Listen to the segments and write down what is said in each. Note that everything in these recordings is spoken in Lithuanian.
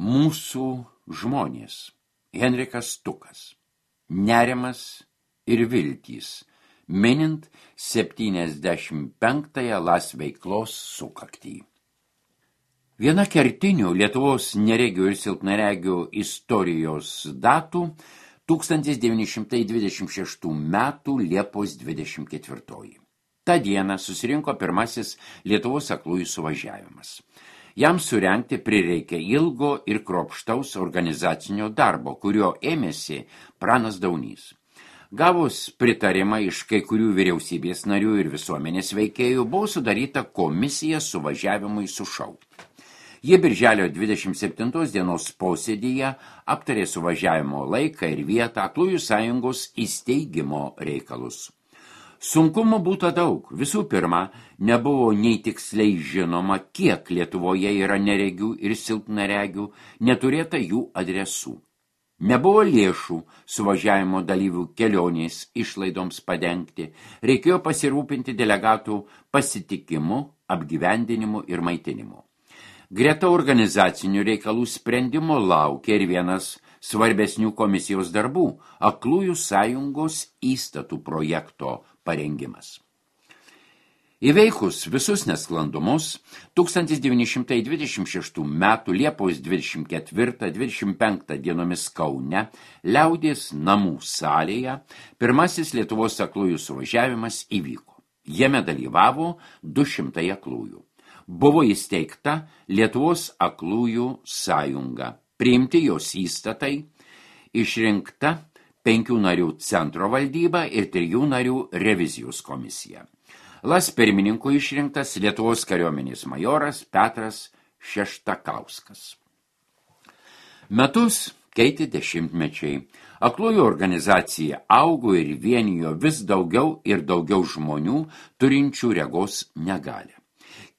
Mūsų žmonės. Henrikas Stukas. Nerimas ir viltys. Minint 75-ąją LAS veiklos sukaktį. Viena kertinių Lietuvos neregių ir silpnaregių istorijos datų 1926 metų Liepos 24. Ta diena susirinko pirmasis Lietuvos aklųjų suvažiavimas. Jam surengti prireikė ilgo ir kruopštaus organizacinio darbo, kurio ėmėsi Pranas Daunys. Gavus pritarimą iš kai kurių vyriausybės narių ir visuomenės veikėjų, buvo sudaryta komisija suvažiavimui sušaukti. Jie birželio 27 dienos posėdyje aptarė suvažiavimo laiką ir vietą Aklųjų sąjungos įsteigimo reikalus. Sunkumų būta daug. Visų pirma, nebuvo nei tiksliai žinoma, kiek Lietuvoje yra neregių ir silpnaregių, neturėta jų adresų. Nebuvo lėšų suvažiavimo dalyvių kelionės išlaidoms padengti, reikėjo pasirūpinti delegatų pasitikimu, apgyvendinimu ir maitinimu. Greta organizacinių reikalų sprendimo laukia ir vienas svarbesnių komisijos darbų – Aklųjų sąjungos įstatų projekto parengimas. Įveikus visus nesklandumus, 1926 metų Liepos 24-25 dienomis Kaune, Liaudies namų salėje, pirmasis Lietuvos aklųjų suvažiavimas įvyko. Jame dalyvavo 200 aklųjų. Buvo įsteigta Lietuvos aklųjų sąjunga, priimti jos įstatai, išrinkta 5 narių centro valdyba ir 3 narių revizijos komisija. LAS pirmininku išrinktas Lietuvos kariuomenės majoras Petras Šeštakauskas. Metus keitė dešimtmečiai. Aklųjų organizacija augo ir vienijo vis daugiau ir daugiau žmonių turinčių regos negalią.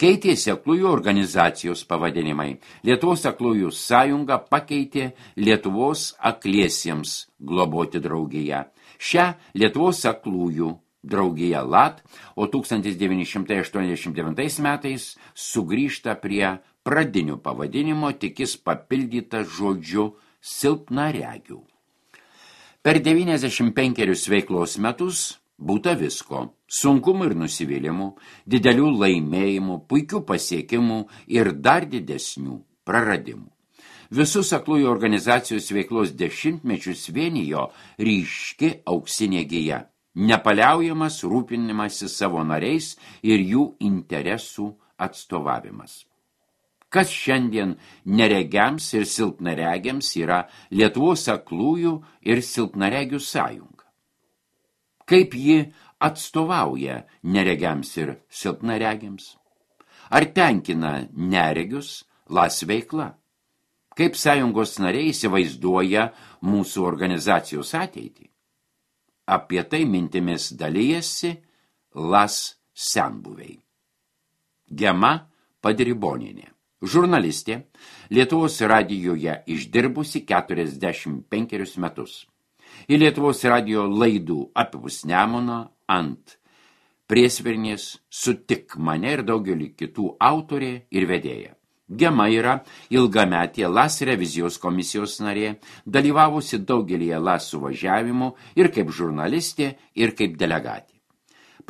Keitėsi aklųjų organizacijos pavadinimai. Lietuvos aklųjų sąjunga pakeitė Lietuvos akliesiems globoti draugiją. Šią Lietuvos aklųjų draugiją LAT, o 1989 metais sugrįžta prie pradinių pavadinimo, tik jis papildyta žodžiu silpnaregių. Per 95 veiklos metus būta visko. Sunkumų ir nusivylimų, didelių laimėjimų, puikių pasiekimų ir dar didesnių praradimų. Visus aklųjų organizacijos veiklos dešimtmečius vienijo ryški auksinė gija, nepaliaujamas rūpinimasis savo nariais ir jų interesų atstovavimas. Kas šiandien neregiams ir silpnaregiams yra Lietuvos aklųjų ir silpnaregių sąjunga? Kaip ji atstovauja neregiams ir silpnaregiams? Ar tenkina neregius LAS veikla? Kaip sąjungos nariai įsivaizduoja mūsų organizacijos ateitį? Apie tai mintimis dalijasi LAS senbuviai. Gema Padribonienė, žurnalistė, Lietuvos radijoje išdirbusi 45 metus. Į Lietuvos radijo laidų apipus Nemuną ant Priesvirnės, Sutik mane ir daugelį kitų autorė ir vedėja. Gema yra ilgametė LAS revizijos komisijos narė, dalyvavusi daugelį LAS suvažiavimų ir kaip žurnalistė, ir kaip delegatė.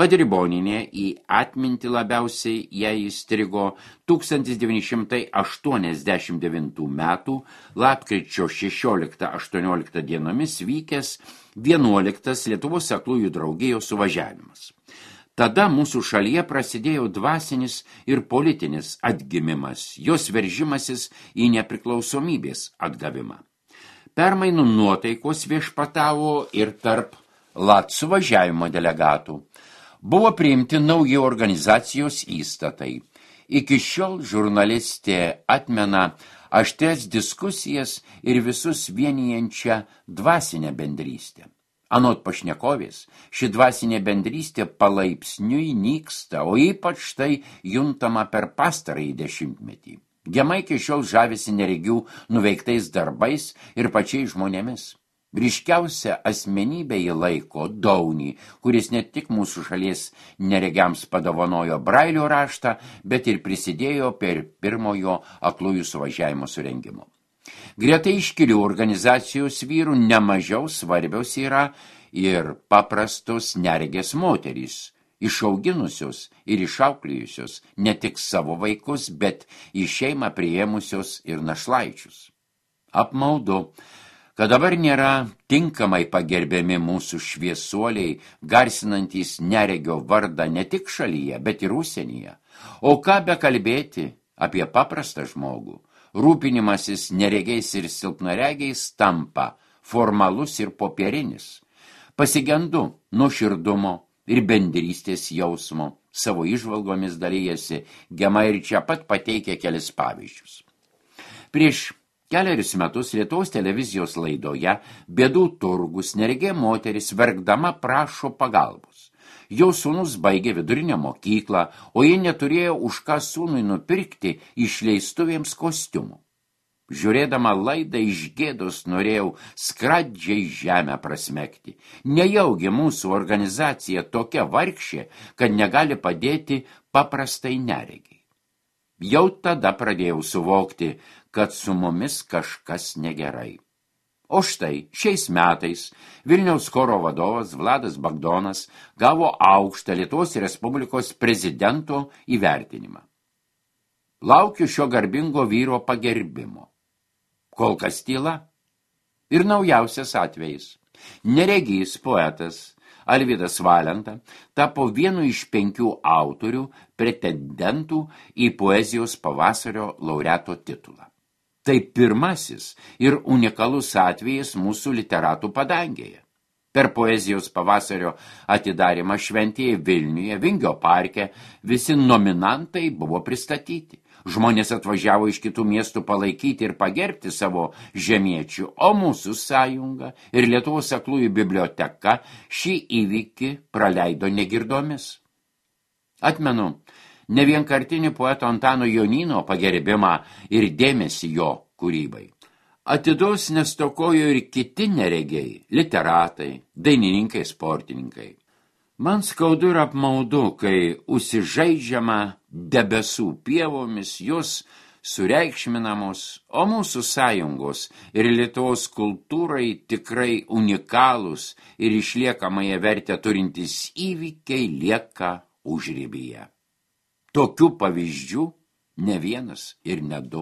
Padribonienė į atmintį labiausiai jai įstrigo 1989 metų lapkričio 16-18 dienomis vykęs 11 Lietuvos aklųjų draugijos suvažiavimas. Tada mūsų šalyje prasidėjo dvasinis ir politinis atgimimas, jos veržimasis į nepriklausomybės atgavimą. Permainų nuotaikos viešpatavo ir tarp LAT suvažiavimo delegatų. Buvo priimti nauji organizacijos įstatai. Iki šiol žurnalistė atmena aštrias diskusijas ir visus vienijančią dvasinę bendrystę. Anot pašnekovės, ši dvasinė bendrystė palaipsniui nyksta, o ypač tai juntama per pastarąjį dešimtmetį. Gema iki šiol žavisi neregių nuveiktais darbais ir pačiais žmonėmis. Ryškiausia asmenybė jį laiko Daunį, kuris ne tik mūsų šalies neregiams padovanojo Brailio raštą, bet ir prisidėjo per pirmojo aklųjų suvažiavimo surengimo. Greta iškilių organizacijos vyrų nemažiau svarbios yra ir paprastos neregės moterys, išauginusios ir išauklėjusios ne tik savo vaikus, bet į šeimą priėmusios ir našlaičius. Apmaudu, kad dabar nėra tinkamai pagerbiami mūsų šviesuoliai, garsinantys neregio vardą ne tik šalyje, bet ir užsienyje. O ką bekalbėti apie paprastą žmogų? Rūpinimasis neregiais ir silpnaregiais tampa formalus ir popierinis. Pasigendu nuoširdumo ir bendrystės jausmo, savo įžvalgomis dalyjasi Gema ir čia pat pateikia kelis pavyzdžius. Prieš kelerius metus Lietuvos televizijos laidoje Bėdų turgus neregė moteris verkdama prašo pagalbos. Jo sūnus baigė vidurinę mokyklą, o ji neturėjo už ką sūnui nupirkti išleistuvėms kostiumų. Žiūrėdama laidą iš gėdos norėjau skradžiai žemę prasmegti. Nejaugi mūsų organizacija tokia vargšė, kad negali padėti paprastai neregiai. Jau tada pradėjau suvokti, kad su mumis kažkas negerai. O štai šiais metais Vilniaus choro vadovas Vladas Bagdonas gavo aukštą Lietuvos Respublikos prezidento įvertinimą. Laukiu šio garbingo vyro pagerbimo. Kol kas tyla. Ir naujausias atvejis. Neregys poetas Alvydas Valenta tapo vienu iš 5 autorių pretendentų į poezijos pavasario laureato titulą. Tai pirmasis ir unikalus atvejis mūsų literatų padangėje. Per poezijos pavasario atidarymą šventėje Vilniuje, Vingio parke, visi nominantai buvo pristatyti. Žmonės atvažiavo iš kitų miestų palaikyti ir pagerbti savo žemiečių, o mūsų sąjunga ir Lietuvos aklųjų biblioteka šį įvykį praleido negirdomis. Atmenu ne vienkartinį poeto Antano Jonyno pagerbimą ir dėmesį jo kūrybai. Atidos nestokojo ir kiti neregiai, literatai, dainininkai, sportininkai. Man skaudu ir apmaudu, kai užsižaidžiama debesų pievomis, jos sureikšminamos, o mūsų sąjungos ir Lietuvos kultūrai tikrai unikalūs ir išliekamąją vertę turintys įvykiai lieka užribyje. Tokių pavyzdžių ne vienas ir ne 2.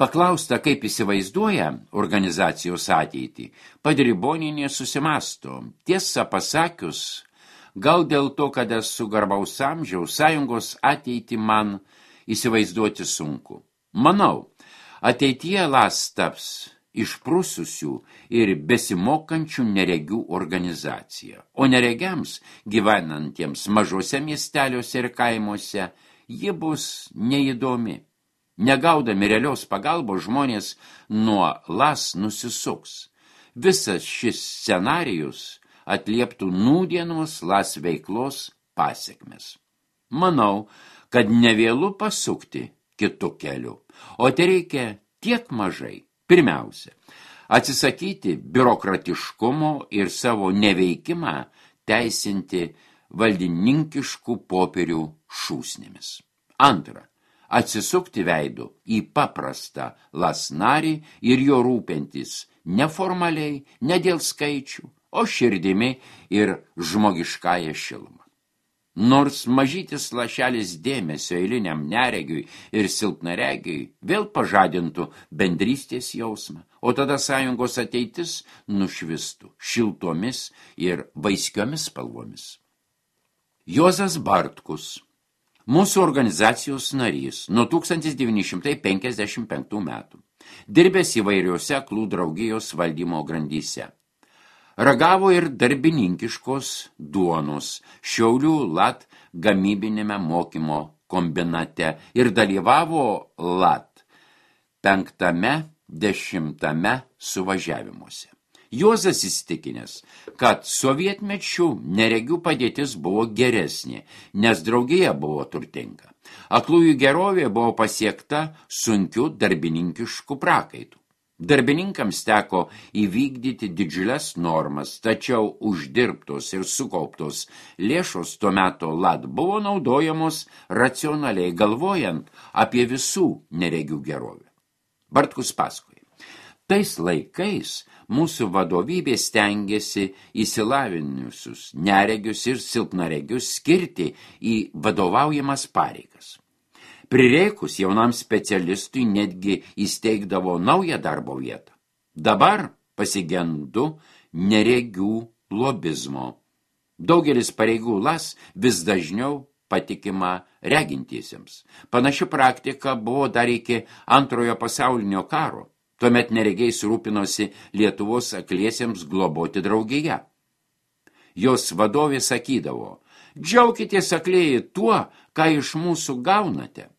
Paklausta, kaip įsivaizduoja organizacijos ateitį, Padribonienė susimasto. Tiesą pasakius, gal dėl to, kad esu garbaus amžiaus, sąjungos ateitį man įsivaizduoti sunku. Manau, ateityje LAS taps išprususių ir besimokančių neregių organizacija, o neregiams gyvenantiems mažose miesteliuose ir kaimuose ji bus neįdomi. Negaudami realios pagalbos žmonės nuo LAS nusisuks. Visas šis scenarijus atlieptų nūdienos LAS veiklos pasekmes. Manau, kad nevėlu pasukti kitu keliu, o tai reikia tiek mažai. Pirmiausia, atsisakyti biurokratiškumo ir savo neveikimą teisinti valdininkiškų popierių šūsnėmis. Antra, atsisukti veidu į paprastą LAS narį ir jo rūpintis neformaliai, ne dėl skaičių, o širdimi ir žmogiškąją šilumą. Nors mažytis lašelis dėmesio eiliniam neregiui ir silpnaregiui vėl pažadintų bendrystės jausmą, o tada sąjungos ateitis nušvistų šiltomis ir vaiskiomis spalvomis. Juozas Bartkus, mūsų organizacijos narys nuo 1955 metų, dirbęs įvairiuose aklų draugijos valdymo grandyse. Ragavo ir darbininkiškos duonos Šiaulių LAT gamybinėme mokymo kombinate ir dalyvavo LAT 5–10 suvažiavimuose. Juozas įsitikinęs, kad sovietmečių neregių padėtis buvo geresnė, nes draugija buvo turtinga. Aklųjų gerovė buvo pasiekta sunkiu darbininkišku prakaitu. Darbininkams teko įvykdyti didžiules normas, tačiau uždirbtos ir sukauptos lėšos tuo metu LAT buvo naudojamos racionaliai galvojant apie visų neregių gerovę. Bartkus pasakoja. Tais laikais mūsų vadovybė stengiasi įsilavinusius neregius ir silpnaregius skirti į vadovaujamas pareigas. Prireikus jaunam specialistui netgi įsteigdavo naują darbo vietą. Dabar pasigendu neregių lobizmo. Daugelis pareigų LAS vis dažniau patikima regintiesiems. Panaši praktika buvo dar iki Antrojo pasaulinio karo. Tuomet neregiais rūpinosi Lietuvos akliesiems globoti draugiją. Jos vadovė sakydavo, džiaukitės aklieji tuo, ką iš mūsų gaunate.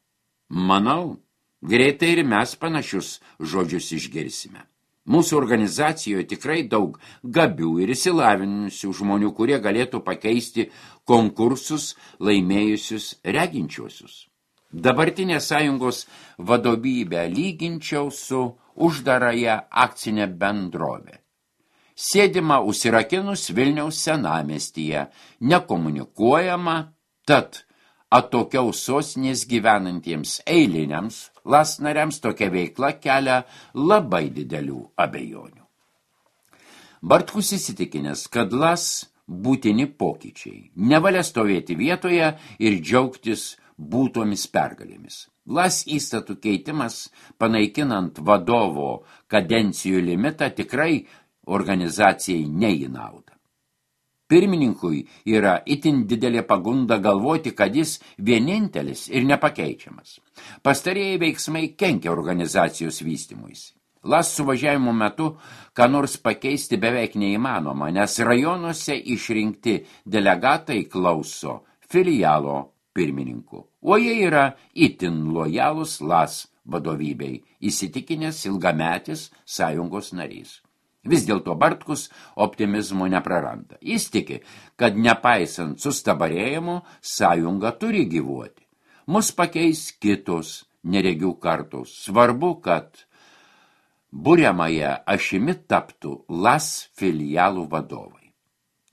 Manau, greitai ir mes panašius žodžius išgirsime. Mūsų organizacijoje tikrai daug gabių ir išsilavinusių žmonių, kurie galėtų pakeisti konkursus laimėjusius reginčiuosius. Dabartinę sąjungos vadovybę lyginčiau su uždarąją akcinę bendrovę. Sėdima užsirakinus Vilniaus senamiestyje, nekomunikuojama, tad atokiau sostinės gyvenantiems eiliniams LAS nariams tokia veikla kelia labai didelių abejonių. Bartkus įsitikinęs, kad LAS būtini pokyčiai, nevalia stovėti vietoje ir džiaugtis būtomis pergalėmis. LAS įstatų keitimas, panaikinant vadovo kadencijų limitą, tikrai organizacijai ne į naudą. Pirmininkui yra itin didelė pagunda galvoti, kad jis vienintelis ir nepakeičiamas. Pastarieji veiksmai kenkia organizacijos vystymuisi. LAS suvažiavimo metu ką nors pakeisti beveik neįmanoma, nes rajonuose išrinkti delegatai klauso filialo pirmininku, o jie yra itin lojalūs LAS vadovybei, įsitikinęs ilgametis sąjungos narys. Vis dėlto Bartkus optimizmo nepraranda. Jis tiki, kad nepaisant sustabarėjimo, sąjunga turi gyvuoti. Mus pakeis kitos neregių kartos. Svarbu, kad buriamąją ašimi taptų LAS filialų vadovai.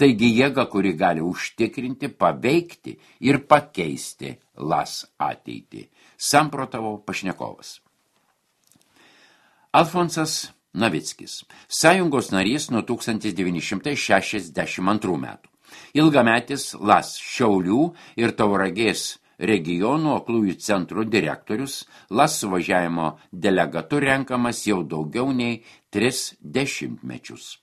Taigi jėga, kuri gali užtikrinti, paveikti ir pakeisti LAS ateitį, samprotavo pašnekovas. Alfonsas Navickis, sąjungos narys nuo 1962 metų. Ilgametis LAS Šiaulių ir Tauragės regionų aklųjų centrų direktorius, LAS suvažiavimo delegatu renkamas jau daugiau nei 3 dešimtmečius.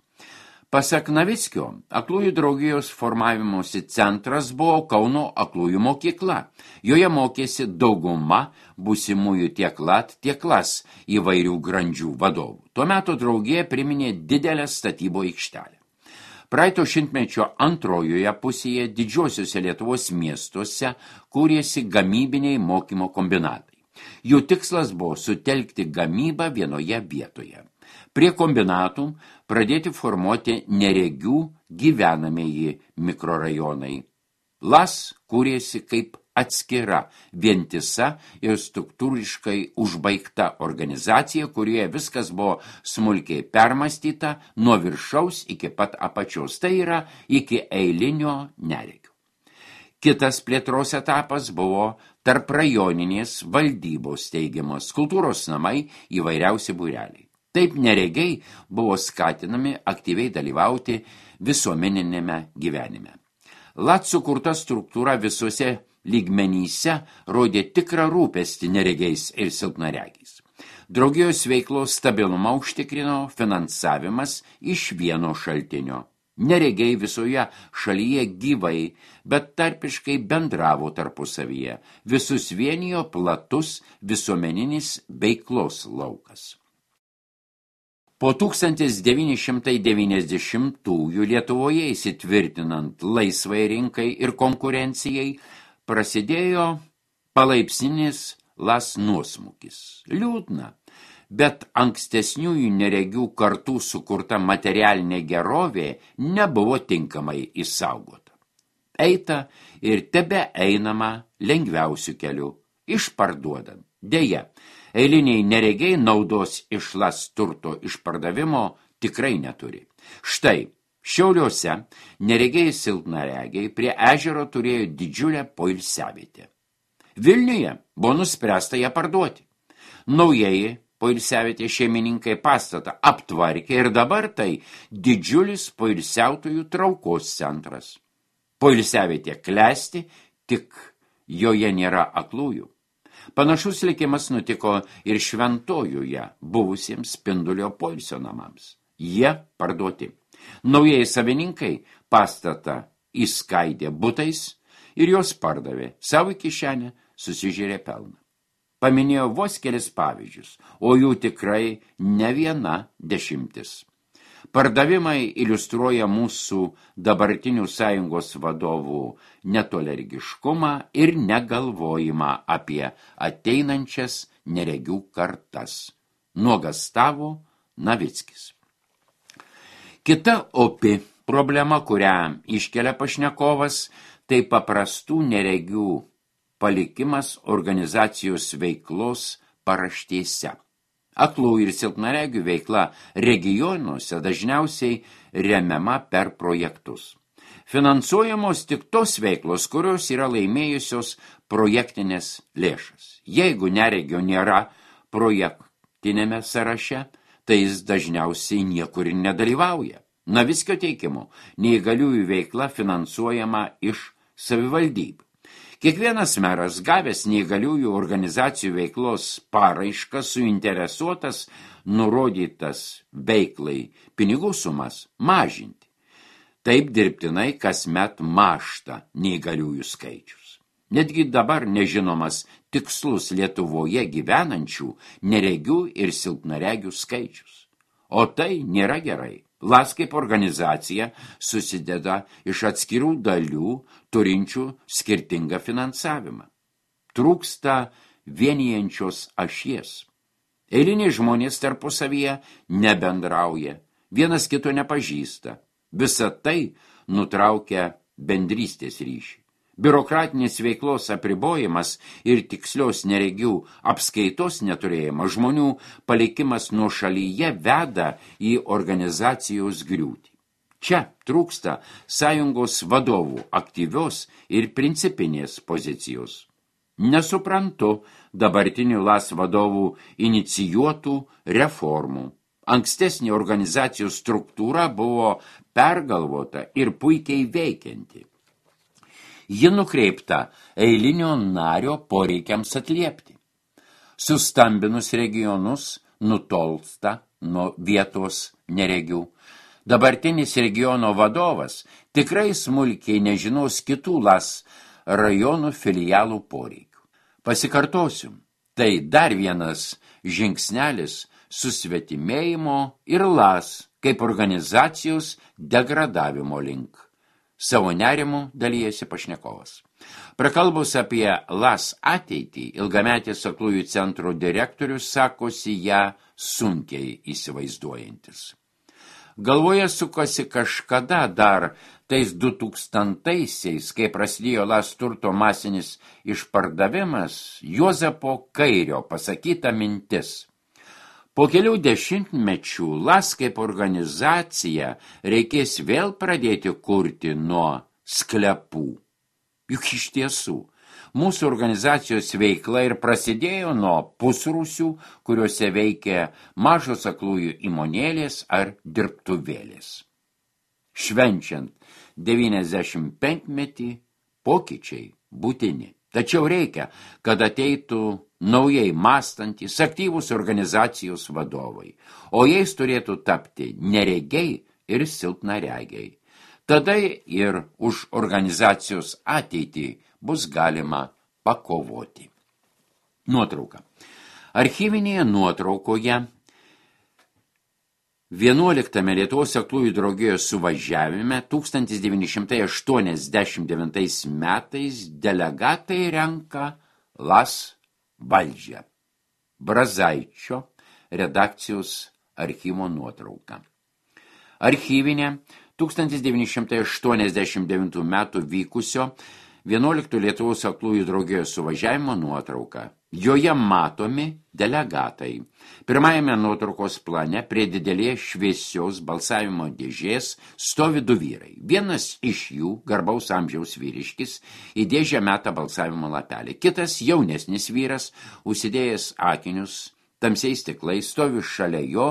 Pasak Navickio, aklųjų draugijos formavimosi centras buvo Kauno aklųjų mokykla. Joje mokėsi dauguma būsimųjų tiek LAT, tiek LAS įvairių grandžių vadovų. Tuo metu draugija priminė didelę statybo aikštelę. Praeito šimtmečio antrojoje pusėje didžiosiuose Lietuvos miestuose kūrėsi gamybiniai mokymo kombinatai. Jų tikslas buvo sutelkti gamybą vienoje vietoje. Prie kombinatų pradėti formuoti neregių gyvenamieji mikrorajonai. LAS kūrėsi kaip atskira, vientisa ir struktūriškai užbaigta organizacija, kurioje viskas buvo smulkiai permąstyta nuo viršaus iki pat apačios, tai yra iki eilinio neregio. Kitas plėtros etapas buvo tarp rajoninės valdybos steigiamos kultūros namai įvairiausi būreliai. Taip neregiai buvo skatinami aktyviai dalyvauti visuomeninėme gyvenime. LAT sukurta struktūra visuose lygmenyse rodė tikrą rūpestį neregiais ir silpnaregiais. Draugijos veiklos stabilumą užtikrino finansavimas iš vieno šaltinio. Neregiai visoje šalyje gyvai, bet tarpiškai bendravo tarpusavyje. Visus vienijo platus visuomeninis veiklos laukas. Po 1990-ųjų Lietuvoje įsitvirtinant laisvai rinkai ir konkurencijai prasidėjo palaipsninis LAS nuosmukis. Liūdna, bet ankstesniųjų neregių kartų sukurta materialinė gerovė nebuvo tinkamai išsaugota. Eita ir tebe einama lengviausiu keliu, išparduodant. Deja, eiliniai neregiai naudos iš LAS turto išpardavimo tikrai neturi. Štai, Šiauliuose neregiai silpnaregiai prie ežero turėjo didžiulę poilsiavietę. Vilniuje buvo nuspręsta ją parduoti. Naujieji poilsiavietės šeimininkai pastatą aptvarkė ir dabar tai didžiulis poilsiautojų traukos centras. Poilsiavietė klesti, tik joje nėra aklųjų. Panašus likimas nutiko ir Šventojoje buvusiems Spindulio poilsio namams. Jie parduoti. Naujieji savininkai pastatą įskaidė butais ir jos pardavė. Savo kišenę susižiūrė pelną. Paminėjo vos kelis pavyzdžius, o jų tikrai ne viena dešimtis. Pardavimai iliustruoja mūsų dabartinių sąjungos vadovų netolergiškumą ir negalvojimą apie ateinančias neregių kartas. Nuogastavo Navickis. Kita opi problema, kurią iškelia pašnekovas, tai paprastų neregių palikimas organizacijos veiklos paraštėse. Aklų ir silpnaregių veikla regionuose dažniausiai remiama per projektus. Finansuojamos tik tos veiklos, kurios yra laimėjusios projektinės lėšas. Jeigu neregio nėra projektinėme sąraše, tai jis dažniausiai niekur nedalyvauja. Navickio teikimu neįgaliųjų veikla finansuojama iš savivaldybių. Kiekvienas meras, gavęs neįgaliųjų organizacijų veiklos paraišką, suinteresuotas nurodytas veiklai pinigų sumas mažinti. Taip dirbtinai kasmet mažta neįgaliųjų skaičius. Netgi dabar nežinomas tikslus Lietuvoje gyvenančių neregių ir silpnaregių skaičius. O tai nėra gerai. LAS kaip organizacija susideda iš atskirų dalių, turinčių skirtingą finansavimą. Trūksta vienijančios ašies. Eiliniai žmonės tarpusavyje nebendrauja, vienas kito nepažįsta. Visa tai nutraukia bendrystės ryšį. Biurokratinės veiklos apribojimas ir tikslios neregių apskaitos neturėjimas, žmonių palikimas nuošalyje veda į organizacijos griūtį. Čia trūksta sąjungos vadovų aktyvios ir principinės pozicijos. Nesuprantu dabartinių LAS vadovų inicijuotų reformų. Ankstesnė organizacijos struktūra buvo pergalvota ir puikiai veikianti. Ji nukreipta eilinio nario poreikiams atliepti. Sustambinus regionus nutolsta nuo vietos neregių. Dabartinis regiono vadovas tikrai smulkiai nežinos kitų LAS rajonų filialų poreikių. Pasikartosiu, tai dar vienas žingsnelis susvetimėjimo ir LAS kaip organizacijos degradavimo link. Savo nerimu dalyjasi pašnekovas. Prakalbus apie LAS ateitį, ilgametės aklųjų centro direktorius sakosi ją sunkiai įsivaizduojantis. Galvoje sukasi kažkada dar tais 2000-aisiais, kai prasidėjo LAS turto masinis išpardavimas, Juozapo Kairio pasakyta mintis. Po kelių dešimtmečių LAS kaip organizacija reikės vėl pradėti kurti nuo sklepų. Juk iš tiesų, mūsų organizacijos veikla ir prasidėjo nuo pusrūsių, kuriuose veikia mažos aklųjų įmonėlės ar dirbtuvėlės. Švenčiant 95-metį pokyčiai būtini. Tačiau reikia, kad ateitų naujai mąstantys, aktyvūs organizacijos vadovai, o jais turėtų tapti neregiai ir silpnaregiai. Tada ir už organizacijos ateitį bus galima pakovoti. Nuotrauka. Archyvinėje nuotraukoje 11 Lietuvos aklųjų draugijos suvažiavime 1989 metais delegatai renka LAS valdžią. Brazaičio redakcijos archyvo nuotrauka. Archyvinė 1989 metų vykusio 11 Lietuvos aklųjų draugijos suvažiavimo nuotrauka. Joje matomi delegatai. Pirmajame nuotraukos plane prie didelės šviesios balsavimo dėžės stovi du vyrai. Vienas iš jų, garbaus amžiaus vyriškis, į dėžę meta balsavimo lapelį. Kitas, jaunesnis vyras, užsidėjęs akinius, tamsiais stiklais, stovi šalia jo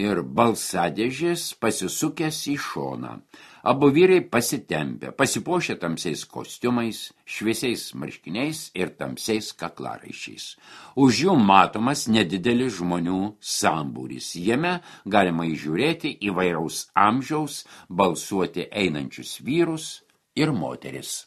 ir balsadėžės pasisukęs į šoną. Abu vyrai pasitempę, pasipuošę tamsiais kostiumais, šviesiais marškiniais ir tamsiais kaklaraiščiais. Už jų matomas nedidelis žmonių sambūris. Jame galima įžiūrėti įvairaus amžiaus balsuoti einančius vyrus ir moteris.